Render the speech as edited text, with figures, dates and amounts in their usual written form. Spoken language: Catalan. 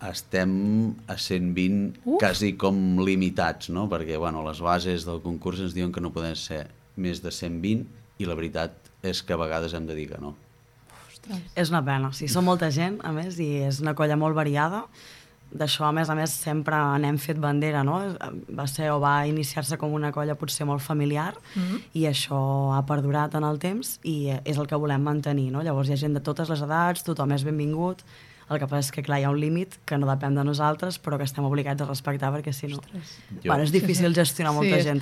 Estem a 120 quasi com limitats, no? Perquè les bases del concurs ens diuen que no poden ser més de 120 i la veritat és que a vegades hem de dir que no. Ostres. És una pena, sí, som molta gent, a més, i és una colla molt variada. D'això, a més, sempre n'hem fet bandera, no? Va iniciar-se com una colla potser molt familiar i això ha perdurat en el temps i és el que volem mantenir, no? Llavors hi ha gent de totes les edats, tothom és benvingut. El que passa és que, clar, hi ha un límit que no depèn de nosaltres, però que estem obligats a respectar, perquè si no... és difícil gestionar molta gent.